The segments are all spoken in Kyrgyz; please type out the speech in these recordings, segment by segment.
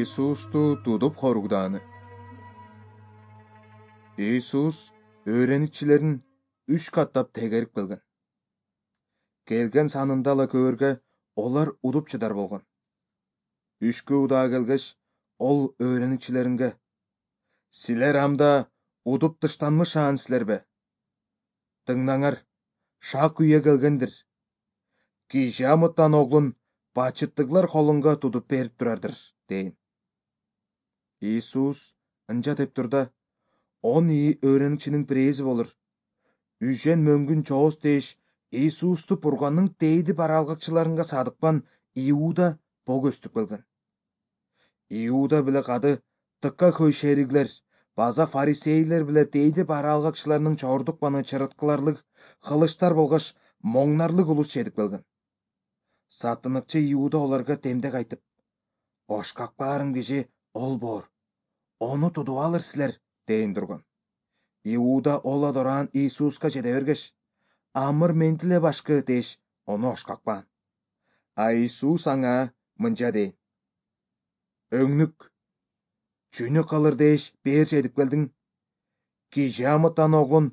Иисусту тудуп хоругдааны. Иисус өөреникчилерин 3 каттап тегерип келген. Келген санында ала көөргө олар удуп чыдар болгон. 3 удаа келгеш, ол өөреникчилеринге: "Силер амда удуп тыштанмышаан силербе? Тыңдаңар, шак үйө келгендир. Киши амыттан оглун бачыттыглар колунга тудуп берип турардыр" дейм. Иисус ынча деп турда, 10 өөреникчинин бирээзи болор. Үжен мөңгүн чоос дээш, Иисусту Бурганның дейди баралгакчыларынга садыкпан Иуда бөгөстүп келген. Иуда биле кады тыкка көй шериглер, база фарисейлер биле дейди баралгакчыларынын чордук баны чырыткыларлык кылычтар болгош моңнарлык улус чедип келген. Сатыныкчы Иуда оларга демдек айтып: "Ошкак баарың киши ол боор. Ону тудуп алыр силер" дейин турган. Иуда ола дораан Иисуска жете бергеш: "Амыр мен деле башкы" деш, ону ошкакпаан. А Иисус аңа мынча дейин: "Өңнүк, чүнү кылыр деш бээр чедип келдиң? Киши амыттан оглун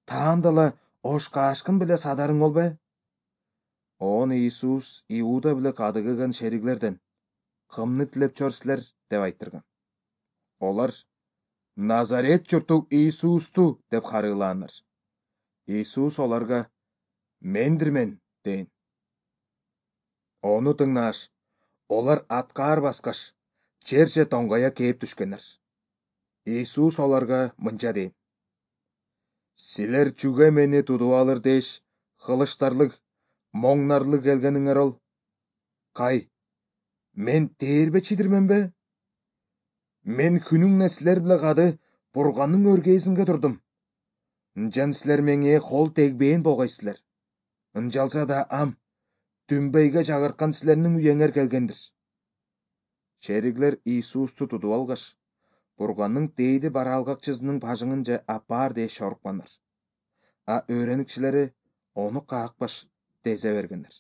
таандала ошкаашкын биле садарың болбу?" Он Иисус Иуда биле кады келген шериглерден: "Кымны тилеп чор силер?" деп айттырган. Олар: "Назарет журту Иисусту" деп харыылааннар. Иисус оларга: "Мендирмен" дейин. Ону тыңнааш, олар аткаар баскаш, жерже тоңгоя кээп түшкөннөр. Иисус оларга мынча дейин: "Силер чүгө мени тудуп алыр деш, кылычтарлык, моңнарлык келгениңер ол? Кай, мен тээрбечидирменби? Мен күнүңне силер биле кады Бурганның өргөөсүнө турдум. Ынчан силер меңе кол тегбейин болгойсуздар. Ынчалса да дүмбөйгө жагырткан силердин үйөңөр келгендир." Шериглер Иисусту тудуп алгаш, Бурганның дейди баралгакчысынын бажыңынча аппаар деш чорукканнар. А өөреникчилери ону каакпаш дезе бергендер.